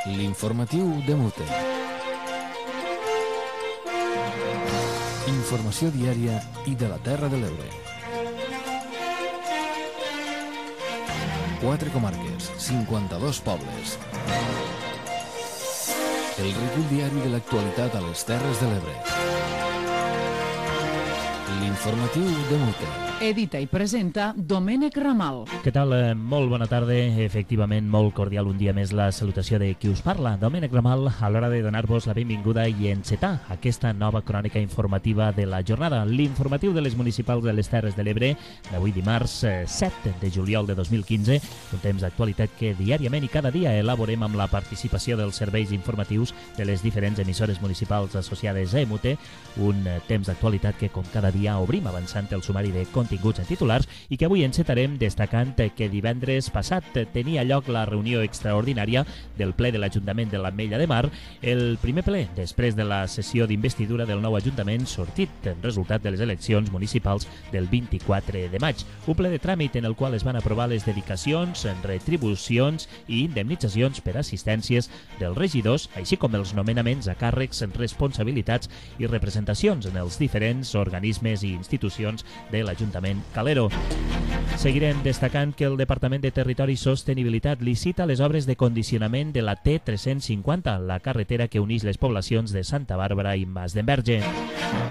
L'informatiu de Mute. Informació diària i de la Terra de l'Ebre. 4 comarques, 52 pobles. El recull diari de l'actualitat a les Terres de l'Ebre. L'informatiu de Mute. Edita i presenta Domènec Ramal. Què tal? Molt bona tarda. Efectivament, molt cordial un dia més la salutació de qui us parla. Domènec Ramal, a l'hora de donar-vos la benvinguda i encetar aquesta nova crònica informativa de la jornada. L'informatiu de les municipals de les Terres de l'Ebre d'avui dimarts 7 de juliol de 2015. Un temps d'actualitat que diàriament i cada dia elaborem amb la participació dels serveis informatius de les diferents emissores municipals associades a EMUTE. Un temps d'actualitat que, com cada dia, obrim avançant el sumari de continguts en titulars i que avui encetarem destacant que divendres passat tenia lloc la reunió extraordinària del ple de l'Ajuntament de l'Ametlla de Mar, el primer ple després de la sessió d'investidura del nou Ajuntament sortit en resultat de les eleccions municipals del 24 de maig. Un ple de tràmit en el qual es van aprovar les dedicacions, retribucions i indemnitzacions per assistències dels regidors, així com els nomenaments a càrrecs, responsabilitats i representacions en els diferents organismes i institucions de l'Ajuntament Calero. Seguirem destacant que el Departament de Territori i Sostenibilitat licita les obres de condicionament de la T350, la carretera que uneix les poblacions de Santa Bàrbara i Mas d'Enverge.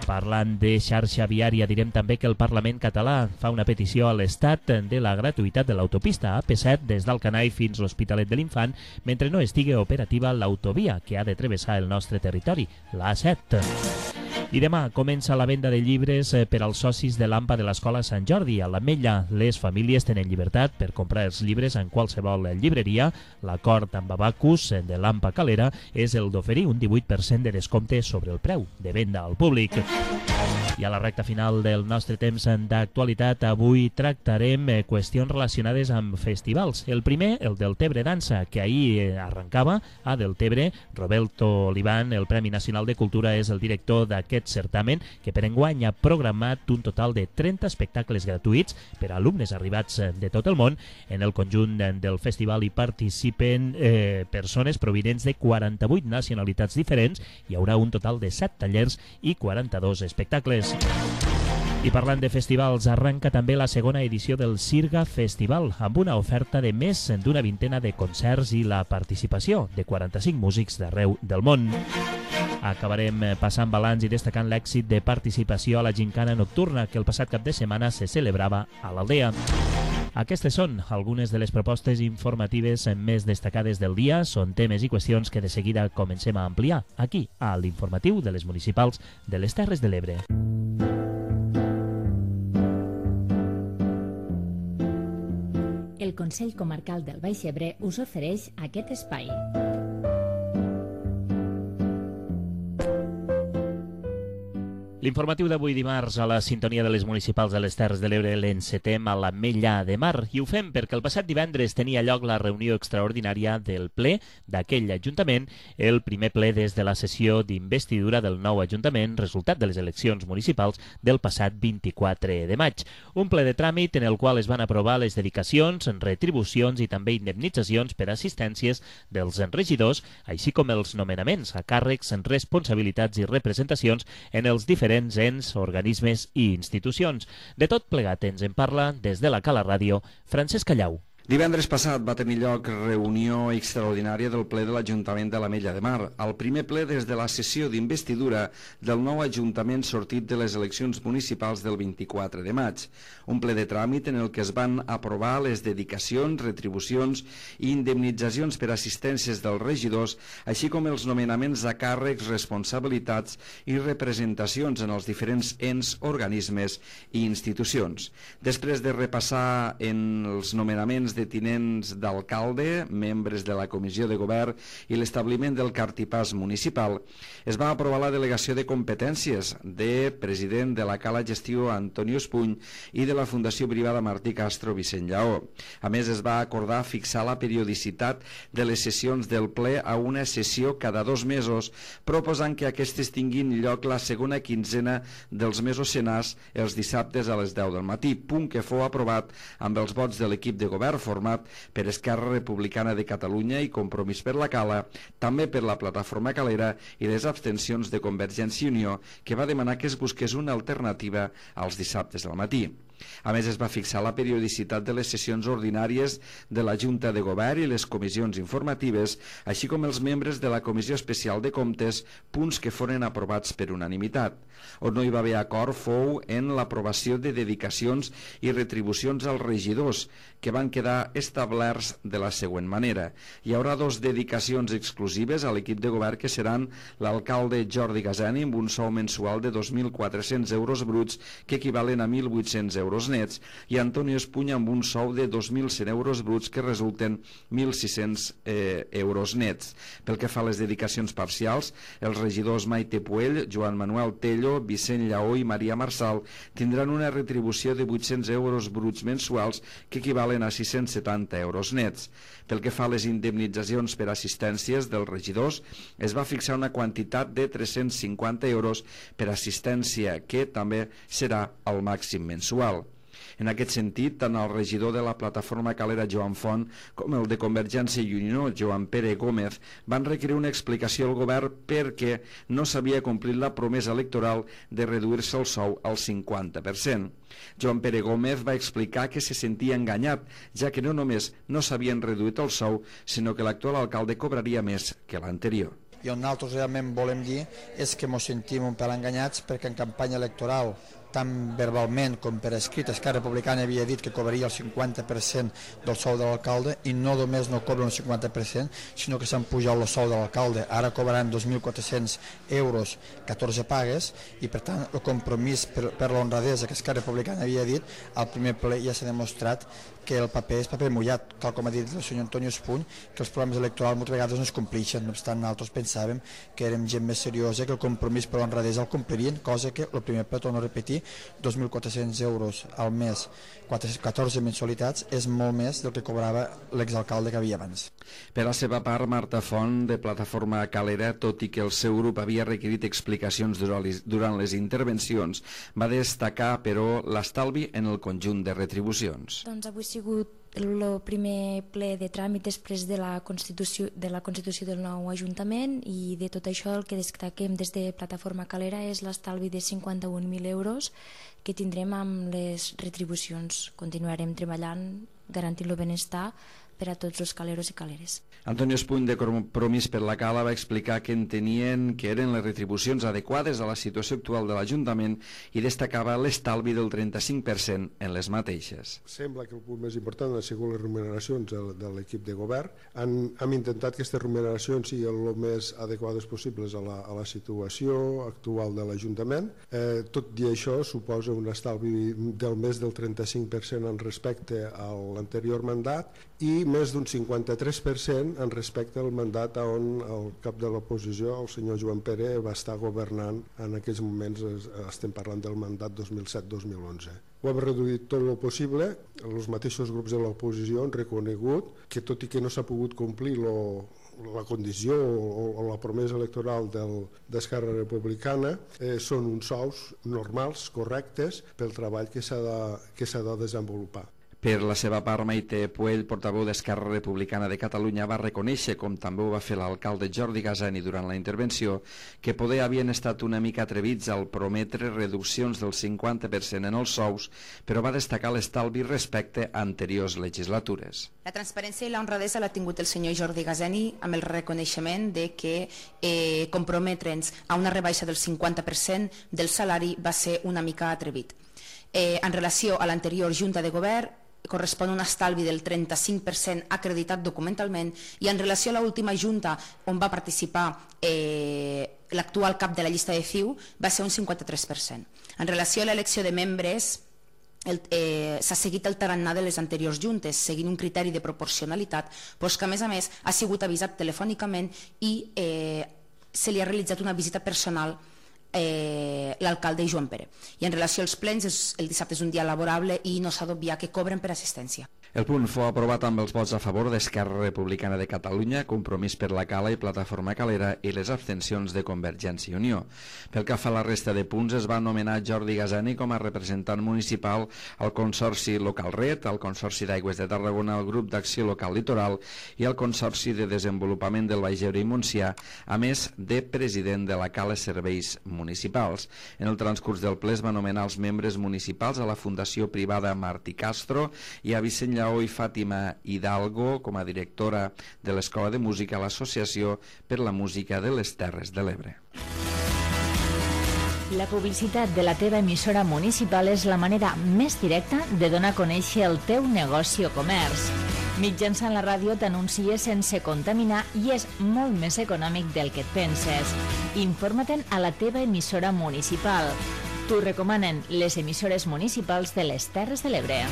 Parlant de xarxa viària, direm també que el Parlament català fa una petició a l'Estat de la gratuïtat de l'autopista AP7 des d'Alcanai fins a l'Hospitalet de l'Infant, mentre no estigui operativa l'autovia que ha de travessar el nostre territori, l'A7. I demà comença la venda de llibres per als socis de l'AMPA de l'Escola Sant Jordi. A l'Ametlla, les famílies tenen llibertat per comprar els llibres en qualsevol llibreria. L'acord amb Abacus de l'AMPA Calera és el d'oferir un 18% de descompte sobre el preu de venda al públic. I a la recta final del nostre temps d'actualitat, avui tractarem qüestions relacionades amb festivals. El primer, el Deltebre Dansa, que ahir arrencava a Deltebre. Roberto Oliván, el Premi Nacional de Cultura, és el director d'aquest certamen, que per enguany ha programat un total de 30 espectacles gratuïts per a alumnes arribats de tot el món. En el conjunt del festival hi participen persones provinents de 48 nacionalitats diferents. Hi haurà un total de 7 tallers i 42 espectacles. I parlant de festivals, arranca també la segona edició del Sirga Festival, amb una oferta de més d'una vintena de concerts i la participació de 45 músics d'arreu del món. Acabarem passant balanç i destacant l'èxit de participació a la gincana nocturna que el passat cap de setmana se celebrava a l'Aldea. Aquestes són algunes de les propostes informatives més destacades del dia. Són temes i qüestions que de seguida comencem a ampliar aquí, a l'informatiu de les municipals de les Terres de l'Ebre. El Consell Comarcal del Baix Ebre us ofereix aquest espai. L'informatiu d'avui dimarts a la sintonia de les municipals de les Terres de l'Ebre l'encetem a l'Ametlla de Mar i ho fem perquè el passat divendres tenia lloc la reunió extraordinària del ple d'aquell Ajuntament, el primer ple des de la sessió d'investidura del nou Ajuntament, resultat de les eleccions municipals del passat 24 de maig. Un ple de tràmit en el qual es van aprovar les dedicacions, retribucions i també indemnitzacions per assistències dels regidors, així com els nomenaments a càrrecs, responsabilitats i representacions en els diferents ens, organismes i institucions. De tot plegat ens en parla des de la Cala Ràdio, Francesc Callau. Divendres passat va tenir lloc reunió extraordinària del ple de l'Ajuntament de l'Ametlla de Mar, el primer ple des de la sessió d'investidura del nou Ajuntament sortit de les eleccions municipals del 24 de maig. Un ple de tràmit en el que es van aprovar les dedicacions, retribucions i indemnitzacions per assistències dels regidors, així com els nomenaments a càrrecs, responsabilitats i representacions en els diferents ens, organismes i institucions. Després de repassar en els nomenaments de tinents d'alcalde, membres de la Comissió de Govern i l'establiment del cartipàs municipal, es va aprovar la delegació de competències de president de la Cala Gestió Antonio Espuny i de la Fundació Privada Martí Castro Vicent Lleó. A més, es va acordar fixar la periodicitat de les sessions del ple a una sessió cada 2 mesos, proposant que aquestes tinguin lloc la segona quinzena dels mesos senars els dissabtes a les 10 del matí, punt que fou aprovat amb els vots de l'equip de govern format per Esquerra Republicana de Catalunya i Compromís per la Cala, també per la Plataforma Calera i les abstencions de Convergència i Unió, que va demanar que es busqués una alternativa als dissabtes al matí. A més, es va fixar la periodicitat de les sessions ordinàries de la Junta de Govern i les comissions informatives, així com els membres de la Comissió Especial de Comptes, punts que foren aprovats per unanimitat. On no hi va haver acord fou en l'aprovació de dedicacions i retribucions als regidors, que van quedar establerts de la següent manera. Hi haurà 2 dedicacions exclusives a l'equip de govern, que seran l'alcalde Jordi Gasani amb un sou mensual de 2.400 euros bruts, que equivalen a 1.800 euros nets, i Antonio Espunya amb un sou de 2.100 euros bruts, que resulten 1.600 euros nets. Pel que fa a les dedicacions parcials, els regidors Maite Puell, Joan Manuel Tello, Vicent Lleó i Maria Marçal tindran una retribució de 800 euros bruts mensuals, que equivalen a 670 euros nets. Pel que fa a les indemnitzacions per assistències dels regidors, es va fixar una quantitat de 350 euros per assistència, que també serà el màxim mensual. En aquest sentit, tant el regidor de la Plataforma Calera, Joan Font, com el de Convergència i Unió, Joan Pere Gómez, van requerir una explicació al govern perquè no s'havia complit la promesa electoral de reduir-se el sou al 50%. Joan Pere Gómez va explicar que se sentia enganyat, ja que no només no s'havien reduït el sou, sinó que l'actual alcalde cobraria més que l'anterior. I on nosaltres realment volem dir és que ens sentim un pèl enganyats, perquè en campanya electoral, tant verbalment com per escrit, Esquerra Republicana havia dit que cobraria el 50% del sou de l'alcalde, i no només no cobren el 50%, sinó que s'han pujat el sou de l'alcalde. Ara cobraran 2.400 euros, 14 pagues, i per tant el compromís per l'honradesa que Esquerra Republicana havia dit, al primer ple ja s'ha demostrat que el paper és paper mullat, tal com ha dit el senyor Antonio Espuny, que els programes electorals moltes vegades no es compleixen. No obstant, nosaltres pensàvem que érem gent més seriosa, que el compromís per l'honradesa el complirien, cosa que el primer ple, torno a repetir, 2.400 euros al mes, 14 mensualitats, és molt més del que cobrava l'exalcalde que havia abans. Per la seva part, Marta Font, de Plataforma Calera, tot i que el seu grup havia requerit explicacions durant les intervencions, va destacar, però, l'estalvi en el conjunt de retribucions. Doncs avui ha sigut el primer ple de tràmit després de la constitució del nou Ajuntament, i de tot això el que destaquem des de Plataforma Calera és l'estalvi de 51.000 euros que tindrem amb les retribucions. Continuarem treballant garantint el benestar per a tots els caleros i caleres. Antonio Espuny, de Compromís per la Cala, va explicar que entenien que eren les retribucions adequades a la situació actual de l'Ajuntament i destacava l'estalvi del 35% en les mateixes. Sembla que el punt més important han sigut les remuneracions de l'equip de govern. Hem intentat que aquestes remuneracions siguin el més adequades possibles a la situació actual de l'Ajuntament. Tot i això suposa un estalvi del més del 35% en respecte a l'anterior mandat, i més d'un 53% en respecte al mandat on el cap de l'oposició, el senyor Joan Pere, va estar governant. En aquells moments estem parlant del mandat 2007-2011. Ho hem reduït tot el possible. Els mateixos grups de l'oposició han reconegut que, tot i que no s'ha pogut complir la condició o la promesa electoral d'Esquerra Republicana, són uns sous normals, correctes, pel treball que s'ha de desenvolupar. Per la seva part, Maite Puell, portaveu d'Esquerra Republicana de Catalunya, va reconèixer, com també ho va fer l'alcalde Jordi Gasani durant la intervenció, que poder havien estat una mica atrevits al prometre reduccions del 50% en els sous, però va destacar l'estalvi respecte a anteriors legislatures. La transparència i la honradesa l'ha tingut el senyor Jordi Gasani amb el reconeixement de que comprometre'ns a una rebaixa del 50% del salari va ser una mica atrevit. En relació a l'anterior Junta de Govern, correspon un estalvi del 35% acreditat documentalment, i en relació a l'última Junta on va participar l'actual cap de la llista de CiU va ser un 53%. En relació a l'elecció de membres, s'ha seguit el tarannà de les anteriors juntes, seguint un criteri de proporcionalitat, però que a més ha sigut avisat telefònicament i se li ha realitzat una visita personal l'alcalde Joan Pere. I en relació als plens, el dissabte és un dia laborable i no s'ha d'obviar que cobren per assistència. El punt fou aprovat amb els vots a favor d'Esquerra Republicana de Catalunya, Compromís per la Cala i Plataforma Calera i les abstencions de Convergència i Unió. Pel que fa a la resta de punts, es va nomenar Jordi Gazani com a representant municipal al Consorci Local Red, al Consorci d'Aigües de Tarragona, al Grup d'Acció Local Litoral i al Consorci de Desenvolupament del Baix Ebre i Montsià, a més de president de la Cala Serveis Municipals. En el transcurs del ple es va nomenar els membres municipals a la Fundació Privada Martí Castro i a Vicent Lleó i Fàtima Hidalgo com a directora de l'Escola de Música a l'Associació per la Música de les Terres de l'Ebre. La publicitat de la teva emissora municipal és la manera més directa de donar a conèixer el teu negoci o comerç. Mitjançant la ràdio t'anuncies sense contaminar i és molt més econòmic del que et penses. Informa-te'n a la teva emissora municipal. T'ho recomanen les emissores municipals de les Terres de l'Ebre.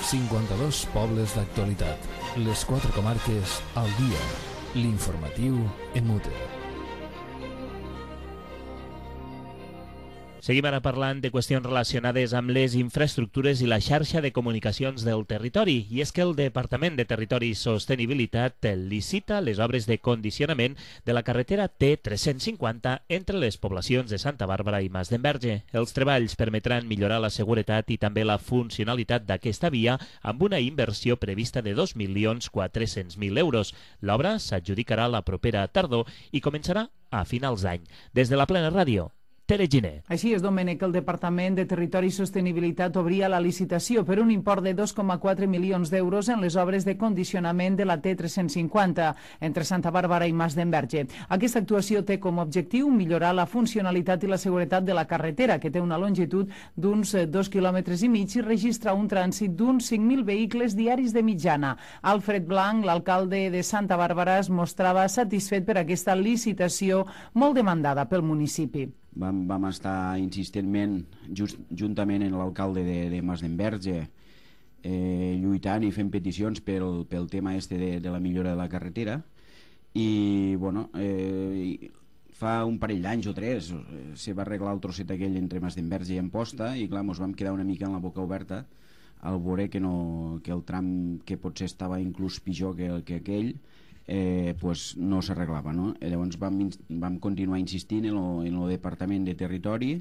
52 pobles d'actualitat. Les 4 comarques al dia. L'informatiu en Mute. Seguim ara parlant de qüestions relacionades amb les infraestructures i la xarxa de comunicacions del territori. I és que el Departament de Territori i Sostenibilitat licita les obres de condicionament de la carretera T350 entre les poblacions de Santa Bàrbara i Mas d'Enverge. Els treballs permetran millorar la seguretat i també la funcionalitat d'aquesta via amb una inversió prevista de 2.400.000 euros. L'obra s'adjudicarà la propera tardor i començarà a finals d'any. Des de la Plena Ràdio, Tere Giner. Així és, Domènec, el Departament de Territori i Sostenibilitat obria la licitació per un import de 2,4 milions d'euros en les obres de condicionament de la T350 entre Santa Bàrbara i Mas d'Enverge. Aquesta actuació té com a objectiu millorar la funcionalitat i la seguretat de la carretera, que té una longitud d'uns 2,5 quilòmetres i registra un trànsit d'uns 5.000 vehicles diaris de mitjana. Alfred Blanc, l'alcalde de Santa Bàrbara, es mostrava satisfet per aquesta licitació molt demandada pel municipi. Vam estar insistentment, juntament amb l'alcalde de Mas d'Enverge, lluitant i fent peticions pel tema de la millora de la carretera. I, bueno, fa un parell d'anys o 3 se va arreglar el trosset aquell entre Mas d'Enverge i Amposta i, clar, ens vam quedar una mica en la boca oberta al veure que el tram, que potser estava inclús pitjor que aquell, pues no s'arreglava, no? Llavors vam continuar insistint en el Departament de Territori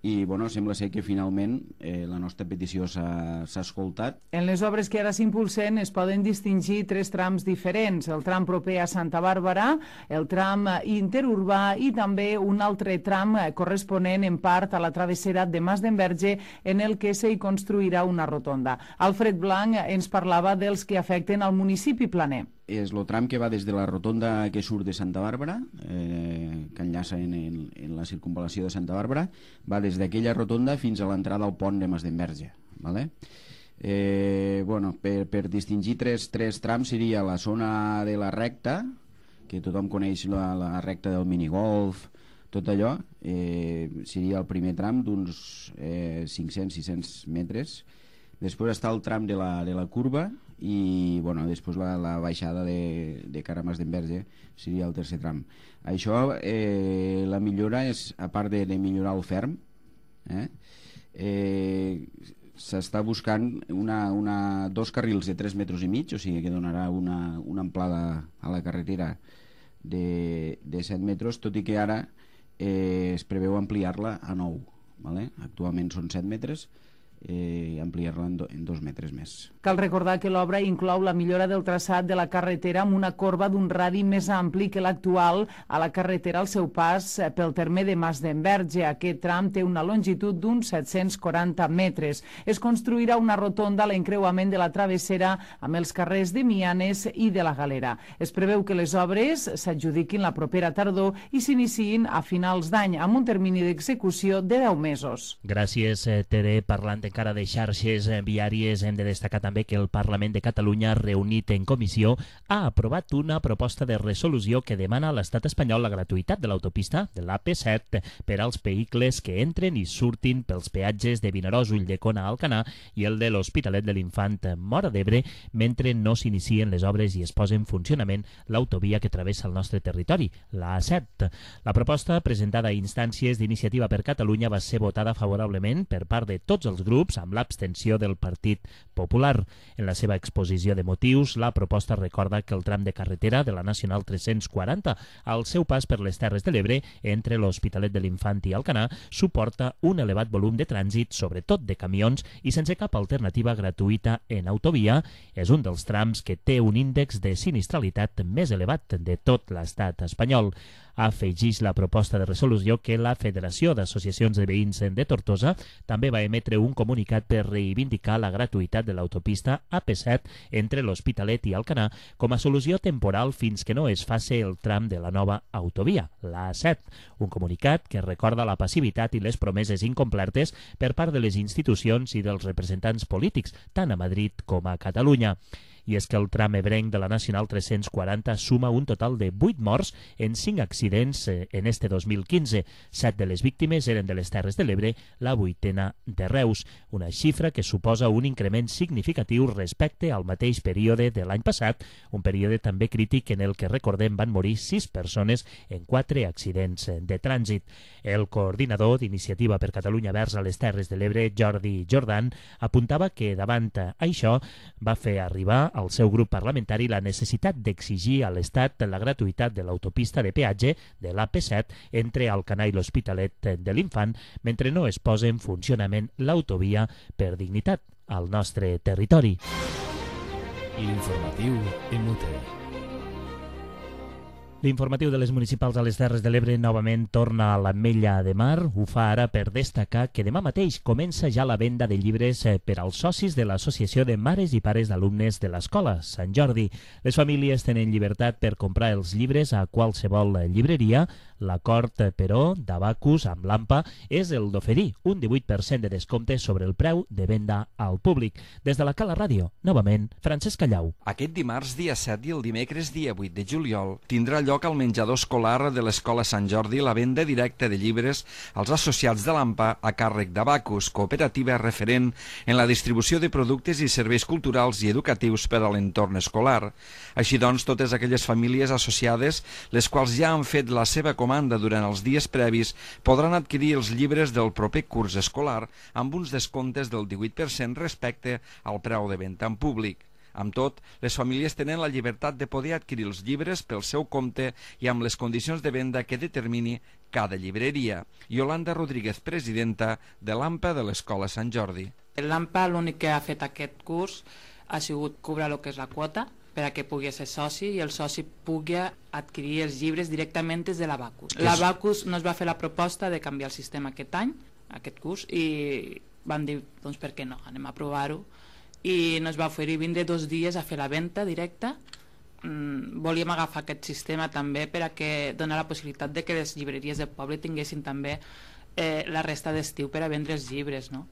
i, bueno, sembla ser que finalment la nostra petició s'ha escoltat. En les obres que ara s'impulsen es poden distingir 3 trams diferents: el tram proper a Santa Bàrbara, el tram interurbà i també un altre tram corresponent en part a la travessera de Mas d'Enverge, en el que s'hi construirà una rotonda. Alfred Blanc ens parlava dels que afecten al municipi planer. És el tram que va des de la rotonda que surt de Santa Bàrbara, que enllaça en la circunvalació de Santa Bàrbara, va des d'aquella rotonda fins a l'entrada al pont de Mas d'Enverge. ¿Vale? Bueno, per distingir tres trams seria la zona de la recta, que tothom coneix la recta del minigolf, tot allò, seria el primer tram d'uns 500-600 metres. Després està el tram de la curva i, bueno, després la baixada de cara a Mas d'Enverge seria el tercer tram. Això, la millora és, a part de millorar el ferm, s'està buscant dos carrils de 3,5 metres, o sigui que donarà una amplada a la carretera de 7 metres, tot i que ara es preveu ampliar-la a 9. ¿Vale? Actualment són 7 metres, ampliar-la en 2 metres més. Cal recordar que l'obra inclou la millora del traçat de la carretera amb una corba d'un radi més ampli que l'actual a la carretera al seu pas pel terme de Mas d'Enverge. Aquest tram té una longitud d'uns 740 metres. Es construirà una rotonda a l'encreuament de la travessera amb els carrers de Mianes i de la Galera. Es preveu que les obres s'adjudiquin la propera tardor i s'iniciïn a finals d'any amb un termini d'execució de 10 mesos. Gràcies, Tere. Parlant encara de xarxes viàries, hem de destacar també que el Parlament de Catalunya, reunit en comissió, ha aprovat una proposta de resolució que demana a l'estat espanyol la gratuïtat de l'autopista de l'AP7 per als vehicles que entren i surtin pels peatges de Vinaròs, Ulldecona, Alcanar i el de l'Hospitalet de l'Infant, Móra d'Ebre, mentre no s'inicien les obres i es posa en funcionament l'autovia que travessa el nostre territori, la A7. La proposta, presentada a instàncies d'Iniciativa per Catalunya, va ser votada favorablement per part de tots els grups, amb l'abstenció del Partit Popular. En la seva exposició de motius, la proposta recorda que el tram de carretera de la Nacional 340, al seu pas per les Terres de l'Ebre, entre l'Hospitalet de l'Infant i Alcanar, suporta un elevat volum de trànsit, sobretot de camions, i sense cap alternativa gratuïta en autovia. És un dels trams que té un índex de sinistralitat més elevat de tot l'estat espanyol. Afegeix la proposta de resolució que la Federació d'Associacions de Veïns de Tortosa també va emetre un comunicat per reivindicar la gratuïtat de l'autopista AP7 entre l'Hospitalet i Alcanar com a solució temporal fins que no es faci el tram de la nova autovia, la A7. Un comunicat que recorda la passivitat i les promeses incomplertes per part de les institucions i dels representants polítics, tant a Madrid com a Catalunya. I és que el tram ebrenc de la Nacional 340 suma un total de 8 morts en 5 accidents en este 2015. 7 de les víctimes eren de les Terres de l'Ebre, la 8ª de Reus, una xifra que suposa un increment significatiu respecte al mateix període de l'any passat, un període també crític en el que, recordem, van morir 6 persones en 4 accidents de trànsit. El coordinador d'Iniciativa per Catalunya Verds a les Terres de l'Ebre, Jordi Jordan, apuntava que davant això va fer arribar al seu grup parlamentari la necessitat d'exigir a l'Estat la gratuïtat de l'autopista de peatge de l'AP7 entre Alcanar i l'Hospitalet de l'Infant mentre no es posa en funcionament l'autovia per dignitat al nostre territori. L'informatiu en Mute. L'informatiu de les municipals a les Terres de l'Ebre novament torna a l'Ametlla de Mar. Ho fa ara per destacar que demà mateix comença ja la venda de llibres per als socis de l'Associació de Mares i Pares d'Alumnes de l'Escola Sant Jordi. Les famílies tenen llibertat per comprar els llibres a qualsevol llibreria. L'acord, però, d'Abacus amb l'AMPA és el d'oferir un 18% de descompte sobre el preu de venda al públic. Des de la Cala Ràdio, novament, Francesc Callau. Aquest dimarts, dia 7 i el dimecres, dia 8 de juliol, tindrà lloc al menjador escolar de l'Escola Sant Jordi la venda directa de llibres als associats de l'AMPA a càrrec d'Abacus, cooperativa referent en la distribució de productes i serveis culturals i educatius per a l'entorn escolar. Així doncs, totes aquelles famílies associades, les quals ja han fet la seva comanda durant els dies previs, podran adquirir els llibres del proper curs escolar amb uns descomptes del 18% respecte al preu de venda en públic. Amb tot, les famílies tenen la llibertat de poder adquirir els llibres pel seu compte i amb les condicions de venda que determini cada llibreria. Yolanda Rodríguez, presidenta de l'AMPA de l'Escola Sant Jordi. L'AMPA l'únic que ha fet aquest curs ha sigut cobrar el que és la quota per a que pugui ser soci i el soci pugui adquirir els llibres directament des de l'Abacus. L'Abacus no es va fer la proposta de canviar el sistema aquest any, aquest curs, i van dir, doncs per què no, anem a provar-ho, i ens va oferir vindre 2 dies a fer la venda directa. Volíem agafar aquest sistema també per a que donar la possibilitat de que les llibreries del poble tinguessin també la resta d'estiu per a vendre els llibres, no?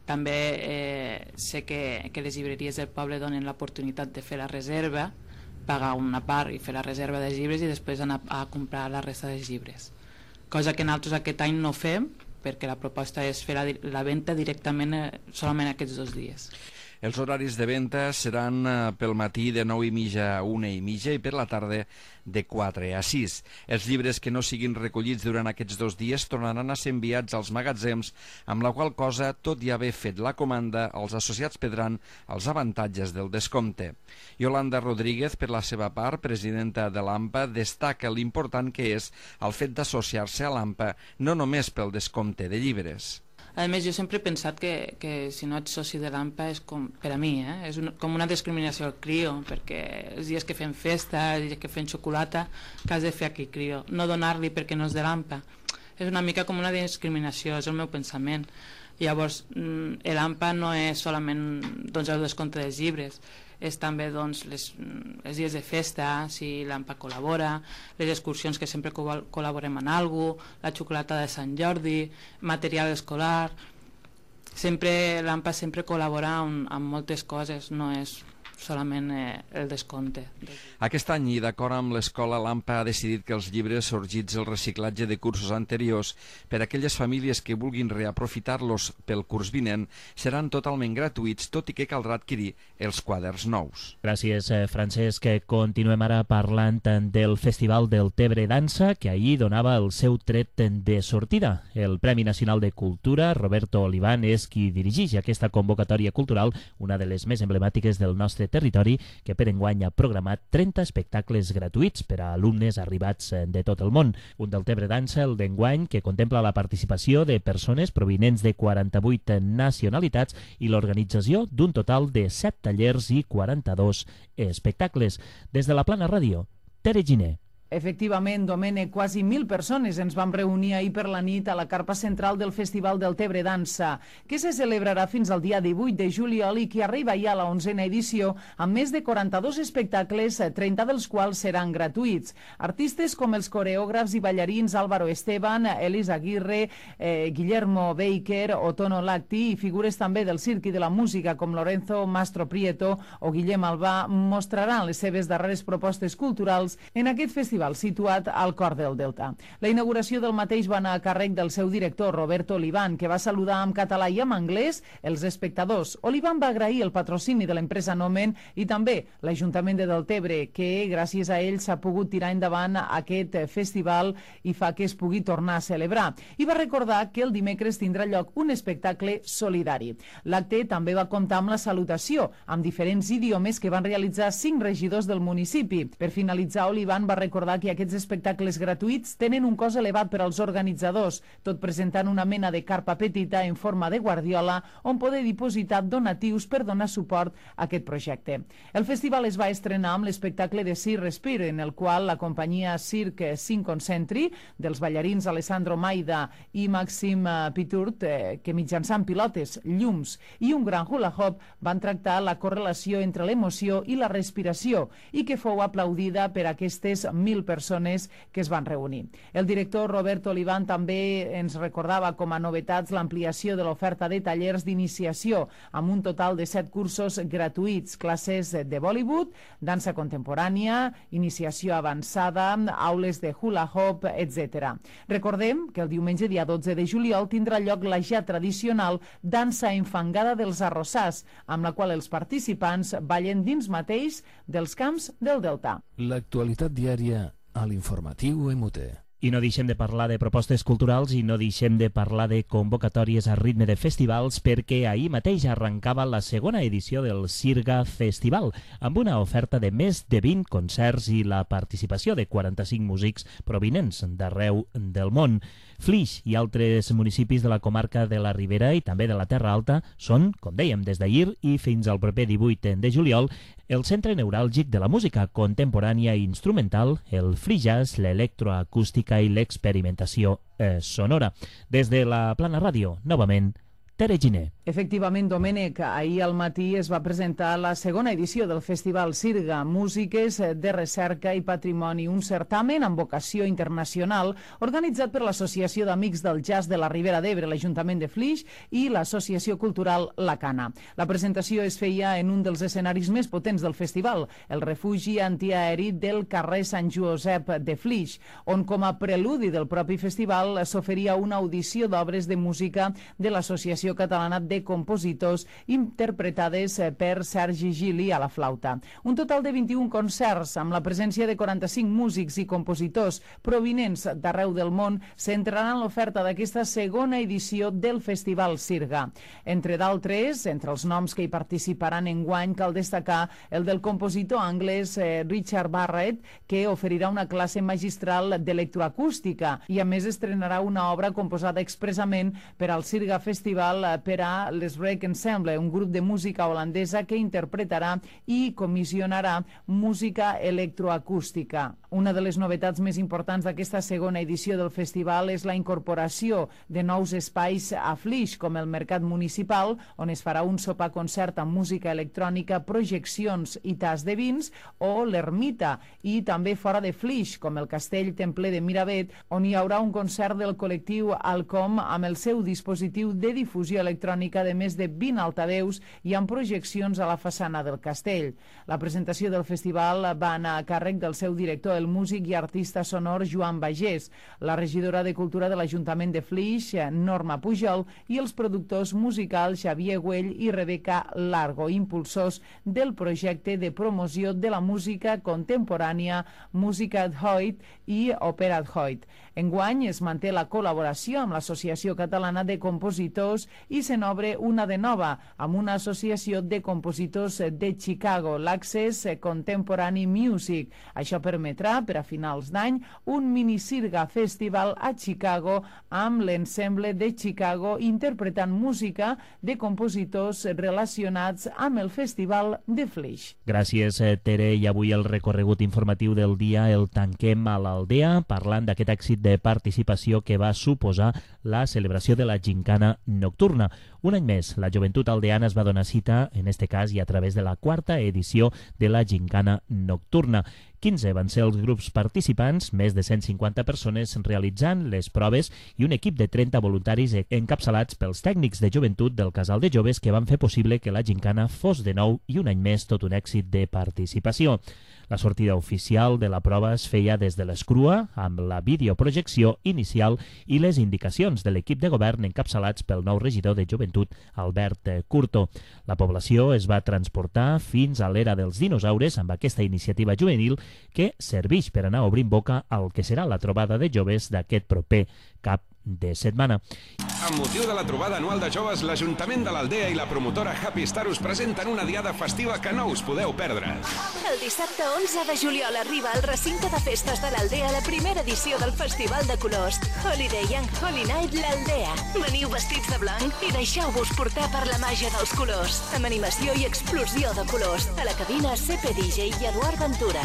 També sé que les llibreries del poble donen l'oportunitat de fer la reserva, pagar una part i fer la reserva dels llibres i després anar a comprar la resta dels llibres. Cosa que nosaltres aquest any no fem, perquè la proposta és fer la venda directament solament aquests 2 dies. Els horaris de venda seran pel matí de 9:30 a 1:30 i per la tarda de 4 a 6. Els llibres que no siguin recollits durant aquests 2 dies tornaran a ser enviats als magatzems, amb la qual cosa, tot i haver fet la comanda, els associats perdran els avantatges del descompte. Yolanda Rodríguez, per la seva part, presidenta de l'AMPA, destaca l'important que és el fet d'associar-se a l'AMPA, no només pel descompte de llibres. A més, jo sempre he pensat que si no ets soci de l'AMPA és com, per a mi, és com una discriminació al CRIO, perquè els dies que fem festa, els dies que fem xocolata, que has de fer aquí CRIO, no donar-li perquè no és de l'AMPA. És una mica com una discriminació, és el meu pensament. Llavors, l'AMPA no és solament el descompte dels llibres, és també els dies de festa, si l'AMPA col·labora, les excursions que sempre col·laborem en alguna cosa, la xocolata de Sant Jordi, material escolar. Sempre l'AMPA sempre col·labora amb moltes coses, no és solament el descompte. Aquest any, i d'acord amb l'escola, l'AMPA ha decidit que els llibres sorgits del reciclatge de cursos anteriors per a aquelles famílies que vulguin reaprofitar-los pel curs vinent seran totalment gratuïts, tot i que caldrà adquirir els quaderns nous. Gràcies, Francesc. Continuem ara parlant del Festival del Tebre Dansa, que ahir donava el seu tret de sortida. El Premi Nacional de Cultura, Roberto Oliván, és qui dirigeix aquesta convocatòria cultural, una de les més emblemàtiques del nostre territori, que per enguany ha programat 30 espectacles gratuïts per a alumnes arribats de tot el món. Un del Tebre Dansa, el d'enguany, que contempla la participació de persones provinents de 48 nacionalitats i l'organització d'un total de 7 tallers i 42 espectacles. Des de la Plana Ràdio, Tere Giner. Efectivament, Domènec, quasi 1.000 persones ens vam reunir ahir per la nit a la carpa central del Festival del Tebre Dansa, que se celebrarà fins al dia 18 de juliol i que arriba ja a la 11a edició amb més de 42 espectacles, 30 dels quals seran gratuïts. Artistes com els coreògrafs i ballarins Álvaro Esteban, Elis Aguirre, Guillermo Baker o Tono Lacti, i figures també del circ i de la música com Lorenzo Mastro Prieto o Guillem Albà mostraran les seves darreres propostes culturals en aquest festival situat al cor del Delta. La inauguració del mateix va anar a càrrec del seu director, Roberto Oliván, que va saludar en català i en anglès els espectadors. Oliván va agrair el patrocini de l'empresa Nomen i també l'Ajuntament de Deltebre, que gràcies a ell s'ha pogut tirar endavant aquest festival i fa que es pugui tornar a celebrar. I va recordar que el dimecres tindrà lloc un espectacle solidari. L'acte també va comptar amb la salutació, amb diferents idiomes que van realitzar 5 regidors del municipi. Per finalitzar, Oliván va recordar que aquests espectacles gratuïts tenen un cost elevat per als organitzadors, tot presentant una mena de carpa petita en forma de guardiola on poder dipositar donatius per donar suport a aquest projecte. El festival es va estrenar amb l'espectacle de Circ Respire, en el qual la companyia Cirque Synconcentri dels ballarins Alessandro Maida i Maxim Piturt, que mitjançant pilotes, llums i un gran hula hoop van tractar la correlació entre l'emoció i la respiració i que fou aplaudida per aquestes 1.000 persones que es van reunir. El director Roberto Oliván també ens recordava com a novetats l'ampliació de l'oferta de tallers d'iniciació amb un total de 7 cursos gratuïts, classes de Bollywood, dansa contemporània, iniciació avançada, aules de hula hoop, etc. Recordem que el diumenge dia 12 de juliol tindrà lloc la ja tradicional dansa enfangada dels arrossars, amb la qual els participants ballen dins mateix dels camps del Delta. L'actualitat diària a l'informatiu MUT. I no deixem de parlar de propostes culturals i no deixem de parlar de convocatòries a ritme de festivals, perquè ahir mateix arrencava la segona edició del Sirga Festival, amb una oferta de més de 20 concerts i la participació de 45 músics provinents d'arreu del món. Flix i altres municipis de la comarca de la Ribera i també de la Terra Alta són, com dèiem, des d'ahir i fins al proper 18 de juliol, el centre neuràlgic de la música contemporània i instrumental, el free jazz, l'electroacústica i l'experimentació sonora. Des de la Plana Ràdio, novament, Tere Giner. Efectivament, Domènec, ahir al matí es va presentar la segona edició del Festival Sirga, Músiques de Recerca i Patrimoni, un certamen amb vocació internacional organitzat per l'Associació d'Amics del Jazz de la Ribera d'Ebre, l'Ajuntament de Flix i l'Associació Cultural La Cana. La presentació es feia en un dels escenaris més potents del festival, el refugi antiaeri del carrer Sant Josep de Flix, on com a preludi del propi festival s'oferia una audició d'obres de música de l'Associació Catalana de Compositors interpretades per Sergi Gili a la flauta. Un total de 21 concerts amb la presència de 45 músics i compositors provinents d'arreu del món centraran l'oferta d'aquesta segona edició del Festival Sirga. Entre d'altres, entre els noms que hi participaran enguany, cal destacar el del compositor anglès Richard Barrett, que oferirà una classe magistral d'electroacústica i a més estrenarà una obra composada expressament per al Sirga Festival per a l'Srek Ensemble, un grup de música holandesa que interpretarà i comissionarà música electroacústica. Una de les novetats més importants d'aquesta segona edició del festival és la incorporació de nous espais a Flix, com el Mercat Municipal, on es farà un sopar-concert amb música electrònica, projeccions i tas de vins, o l'Ermita, i també fora de Flix, com el Castell Templer de Miravet, on hi haurà un concert del col·lectiu Alcom amb el seu dispositiu de difusió difusió electrònica de més de 20 altaveus i amb projeccions a la façana del castell. La presentació del festival va anar a càrrec del seu director, el músic i artista sonor Joan Bagés, la regidora de Cultura de l'Ajuntament de Flix, Norma Pujol, i els productors musicals Xavier Güell i Rebeca Largo, impulsors del projecte de promoció de la música contemporània Música ad Hoc i Òpera ad Hoc. Enguany es manté la col·laboració amb l'Associació Catalana de Compositors i se n'obre una de nova, amb una associació de compositors de Chicago, l'Access Contemporary Music. Això permetrà, per a finals d'any, un mini-sirga festival a Chicago amb l'ensemble de Chicago interpretant música de compositors relacionats amb el Festival de Flix. Gràcies, Tere. I avui el recorregut informatiu del dia el tanquem a l'Aldea, parlant d'aquest èxit de participació que va suposar la celebració de la gincana nocturna. Un any més, la joventut aldeana es va donar cita, en este cas i a través de la 4ª edició de la gincana nocturna. 15 van ser els grups participants, més de 150 persones realitzant les proves i un equip de 30 voluntaris encapçalats pels tècnics de joventut del Casal de Joves que van fer possible que la gincana fos de nou i un any més tot un èxit de participació. La sortida oficial de la prova es feia des de l'Escrua, amb la videoprojecció inicial i les indicacions de l'equip de govern encapçalats pel nou regidor de joventut, Albert Curto. La població es va transportar fins a l'era dels dinosaures amb aquesta iniciativa juvenil que serveix per anar obrint boca al que serà la trobada de joves d'aquest proper cap de setmana. Amb motiu de la trobada anual de joves, l'Ajuntament de l'Aldea i la promotora Happy Star us presenten una diada festiva que no us podeu perdre. El dissabte 11 de juliol arriba al recinte de festes de l'Aldea la primera edició del Festival de Colors Holiday and Holy Night l'Aldea. Veniu vestits de blanc i deixeu-vos portar per la màgia dels colors, amb animació i explosió de colors. A la cabina CP DJ i Eduard Ventura.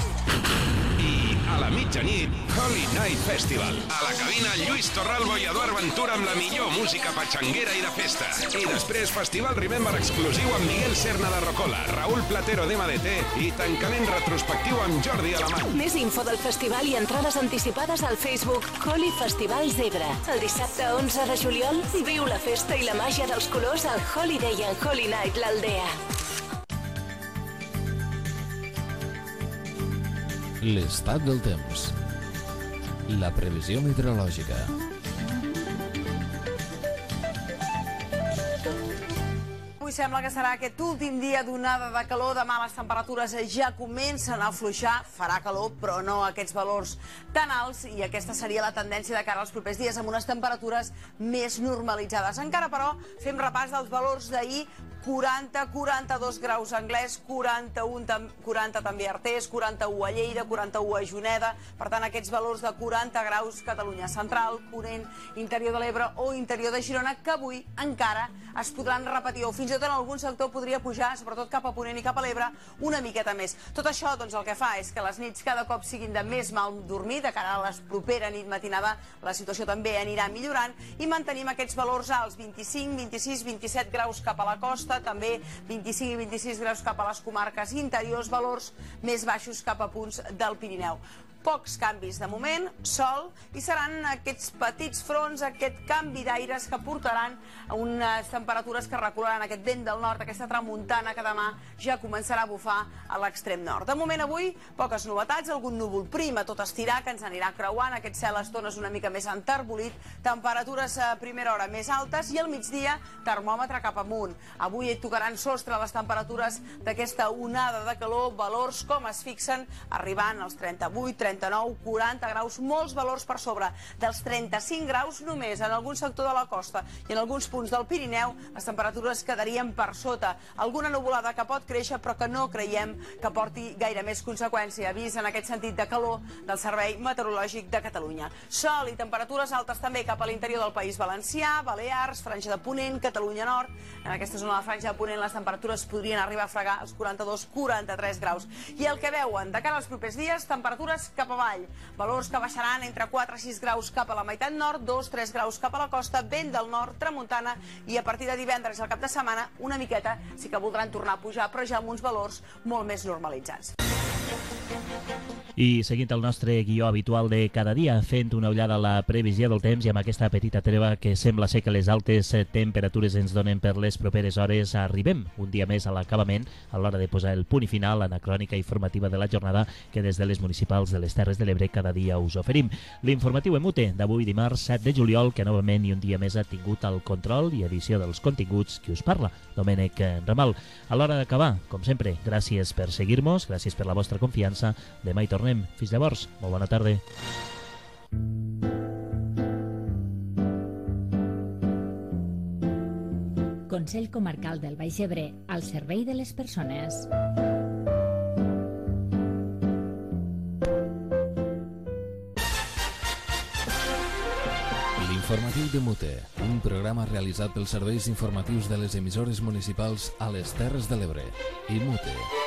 I a la mitjanit, Holy Night Festival. A la cabina, Lluís Torralbo i Eduard Ventura amb la millor música patxanguera i de festa. I després, Festival Remember exclusiu amb Miguel Serna de Rocola, Raúl Platero d'MDT i tancament retrospectiu amb Jordi Alamany. Més info del festival i entrades anticipades al Facebook Holi Festival Zebra. El dissabte 11 de juliol, viu la festa i la màgia dels colors al Holiday and Holy Night l'Aldea. L'estat del temps. La previsió meteorològica. Avui sembla que serà aquest últim dia d'onada de calor. Demà les temperatures ja comencen a afluixar. Farà calor, però no aquests valors tan alts, i aquesta seria la tendència de cara als propers dies, amb unes temperatures més normalitzades. Encara, però, fem repàs dels valors d'ahir. 40, 42 graus a Anglès, 40 també a Artés, 41 a Lleida, 41 a Juneda. Per tant, aquests valors de 40 graus Catalunya Central, Ponent, Interior de l'Ebre o Interior de Girona, que avui encara es podran repetir, o fins i tot en algun sector podria pujar, sobretot cap a Ponent i cap a l'Ebre, una miqueta més. Tot això, doncs, el que fa és que les nits cada cop siguin de més mal dormir. De cara a la propera nit matinada la situació també anirà millorant i mantenim aquests valors alts, 25, 26, 27 graus cap a la costa, també 25 i 26 graus cap a les comarques interiors, valors més baixos cap a punts del Pirineu. Pocs canvis de moment, sol, i seran aquests petits fronts, aquest canvi d'aires que portaran a unes temperatures que recularan aquest vent del nord, aquesta tramuntana que demà ja començarà a bufar a l'extrem nord. De moment avui, poques novetats, algun núvol prim a tot estirar que ens anirà creuant, aquest cel a estones una mica més enterbolit, temperatures a primera hora més altes i al migdia termòmetre cap amunt. Avui tocaran sostre les temperatures d'aquesta onada de calor, valors com es fixen, arribant als 38, 39, 40 graus, molts valors per sobre dels 35 graus només en algun sector de la costa i en alguns punts del Pirineu les temperatures quedarien per sota. Alguna nuvolada que pot créixer però que no creiem que porti gaire més conseqüència. Avís en aquest sentit de calor del Servei Meteorològic de Catalunya. Sol i temperatures altes també cap a l'interior del País Valencià, Balears, Franja de Ponent, Catalunya Nord. En aquesta zona de la Franja de Ponent les temperatures podrien arribar a fregar els 42-43 graus. I el que veuen de cara als propers dies, temperatures cap avall. Valors que baixaran entre 4 i 6 graus cap a la meitat nord, 2-3 graus cap a la costa, vent del nord, tramuntana, i a partir de divendres al cap de setmana una miqueta sí que voldran tornar a pujar, però ja amb uns valors molt més normalitzats. I seguint el nostre guió habitual de cada dia, fent una ullada a la previsió del temps i amb aquesta petita treva que sembla ser que les altes temperatures ens donen per les properes hores, arribem un dia més a l'acabament a l'hora de posar el punt i final a la crònica informativa de la jornada que des de les municipals de les Terres de l'Ebre cada dia us oferim. L'informatiu EMUTE d'avui dimarts 7 de juliol, que novament i un dia més ha tingut el control i edició dels continguts, qui us parla, Domènec Ramal. A l'hora d'acabar, com sempre, gràcies per seguir-nos, gràcies per la vostra confiança. Demà hi tornem. Fins llavors, molt bona tarda. Consell Comarcal del Baix Ebre, al servei de les persones. L'informatiu de Mute, un programa realitzat pels serveis informatius de les emissores municipals a les Terres de l'Ebre. I Mute.